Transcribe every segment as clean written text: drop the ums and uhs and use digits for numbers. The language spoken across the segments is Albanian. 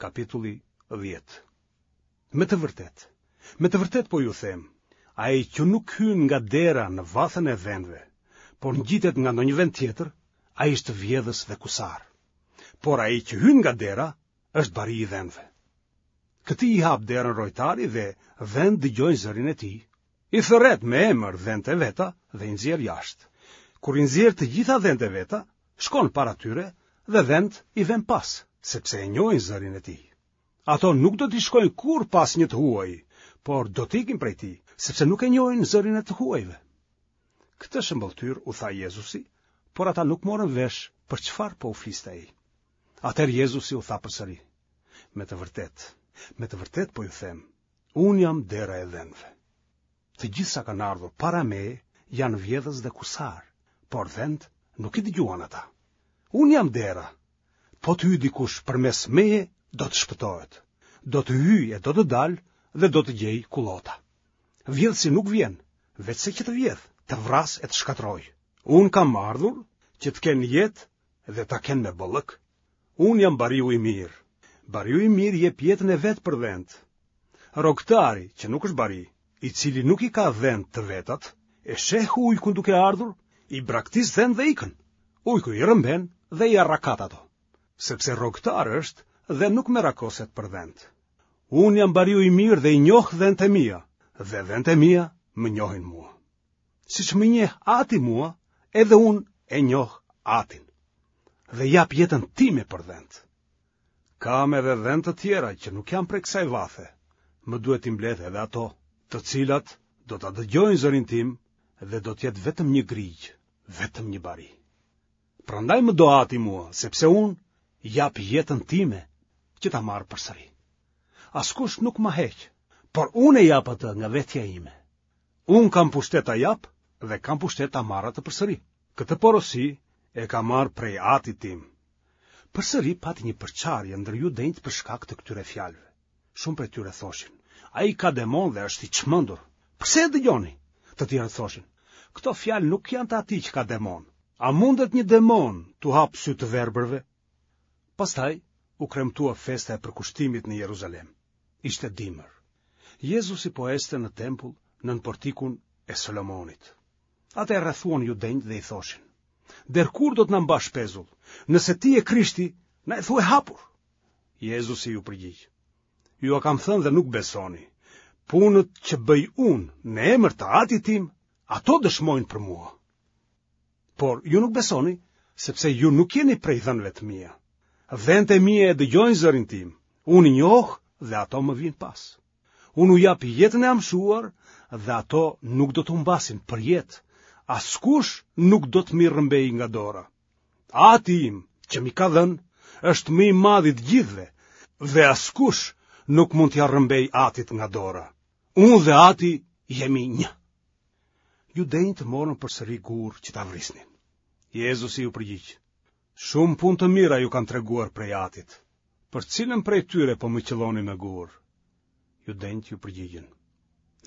Kapitulli 10. Me të vërtetë, me të vërtetë po ju them, ai që nuk hyn nga dera në vathën e dhenve, por ngjitet nga ndonjë vend tjetër, ai është vjedhës dhe kusar. Por ai që hyn nga dera, është bari i dhenve. Këtij i hap derën rojtari dhe dhentë dëgjojnë zërin e tij. I thërret me emër dhentë e veta dhe i nxjerr jashtë. Kur i nxjerr të gjitha dhentë e veta, shkon para tyre dhe dhentë i venë pas, sepse e njohin zërin e tij. Ato nuk do t'i shkojnë kurrë pas një të huaji, por do të ikin prej tij, sepse nuk e njohin zërin e të huajve. Këtë shëmbëlltyrë u tha Jezusi, por ata nuk morën vesh për çfarë po u fliste ai. Atëherë Jezusi u tha përsëri, me të vërtetë, me të vërtetë po ju them, unë jam dera e dhenve. Të gjithë sa kanë ardhur para meje janë vjedhës dhe kusarë, por dhentë nuk i dëgjuan ata. Unë jam dera. Po të hyjë dikush përmes meje, do të shpëtohet. Do të hyjë e do të dalë dhe do të gjejë kullota. Vjedhësi nuk vjen, veçse që të vjedhë, të vrasë e të shkatërrojë. Unë kam ardhur që të kenë jetë dhe ta kenë me bollëk. Unë jam bariu i mirë. Bariu i mirë jep jetën e vet për dhentë. Rrogëtari, që nuk është bari, i cili nuk i ka dhentë të vetat, e sheh ujkun duke ardhur, i braktis dhentë dhe ikën. Ujku i rrëmben dhe i arrakat ato, sepse rrogëtar është dhe nuk merakoset për dhentë. Unë jam bariu i mirë dhe i njoh dhentë e mia, dhe dhentë e mia më njohin mua. Siç më njeh ati mua, edhe unë e njoh atin. Dhe jap jetën time për dhentë. Kam edhe dhen të tjera që nuk janë prej kësaj vathe. Më duhet t'i mbledh edhe ato, të cilat do ta dëgjojnë zërin tim dhe do të jetë vetëm një grigjë, vetëm një bari. Prandaj më do ati mua, sepse unë jap jetën time që ta marr përsëri. Askush nuk ma heq, por unë e jap atë nga vetja ime. Unë kam pushtet ta jap dhe kam pushtet ta marr atë përsëri. Këtë porosi e kam marrë prej atit tim. Përsëri pati një përçarje ndër judenjtë për shkak të këtyre fjalëve. Shumë prej tyre thoshin, ai ka demon dhe është i çmendur. Përse e dëgjoni? Të tjerët thoshin, këto fjalë nuk janë të atij që ka demon. A mundet një demon t'u hapë sytë të verbërve? Pastaj u kremtua festa e përkushtimit në Jeruzalem. Ishte dimër. Jezusi po ecte në tempull nën portikun e Solomonit. Atë e rrethuan judenjtë dhe i thoshin: Deri kur do të na mbash pezull? Nëse ti je Krishti, na e thuaj hapur. Jezusi iu përgjigj: Jua kam thënë dhe nuk besoni. Punët që bëj unë në emër të Atit tim, ato dëshmojnë për mua. Por ju nuk besoni, sepse ju nuk jeni prej dhenve të mia. Dhentë e mia e dëgjojnë zërin tim, unë i njoh dhe ato më vijnë pas. Unë u jap jetën e amshuar dhe ato nuk do të humbasin përjetë, askush nuk do të m'i rrëmbejë nga dora. Ati im, që m'i ka dhënë, është më i madhi i të gjithëve dhe askush nuk mund t'ia rrëmbejë atit nga dora. Unë dhe ati jemi një. Judenjtë morën përsëri gurë që ta vrisnin. Jezusi iu përgjigj: Shumë punë të mira ju kam treguar prej atit. Për cilën prej tyre po më qëlloni me gurë? Judenjtë iu përgjigjën: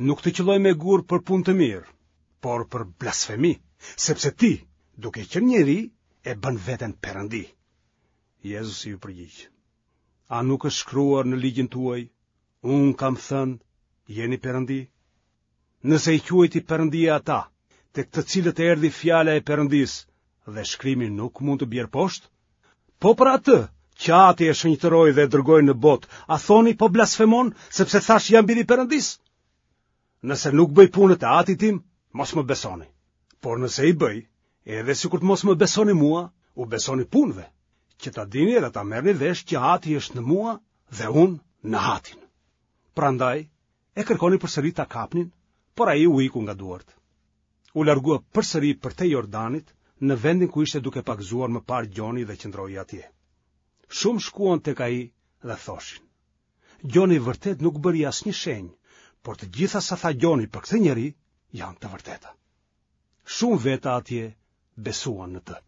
Nuk të qëllojmë me gurë për punë të mirë, por për blasfemi, sepse ti, duke qenë njeri, e bën veten perëndi. Jezusi iu përgjigj: A nuk është shkruar në ligjin tuaj, unë kam thënë, jeni perëndi? Nëse i quajti perëndi ata, tek të cilët erdhi fjala e perëndisë dhe shkrimi nuk mund të bjerë poshtë, po për atë që ati e shenjtëroi dhe e dërgoi në botë, a thoni po blasfemon, sepse thashë jam biri i perëndisë? Nëse nuk bëj punët e atit tim, mos më besoni. Por nëse i bëj, edhe sikur të mos më besoni mua, u besoni punëve, që ta dini dhe ta merrni vesh që ati është në mua dhe unë në atin. Prandaj, E kërkonin përsëri ta kapnin, por ai u iku nga duart. U largua përsëri përtej Jordanit, në vendin ku ishte duke pagëzuar më parë Gjoni dhe qëndroi atje. Shumë shkuan tek ai dhe thoshin: Gjoni vërtet nuk bëri asnjë shenjë, por të gjitha sa tha Gjoni për këtë njeri janë të vërteta. Shumë veta atje besuan në të.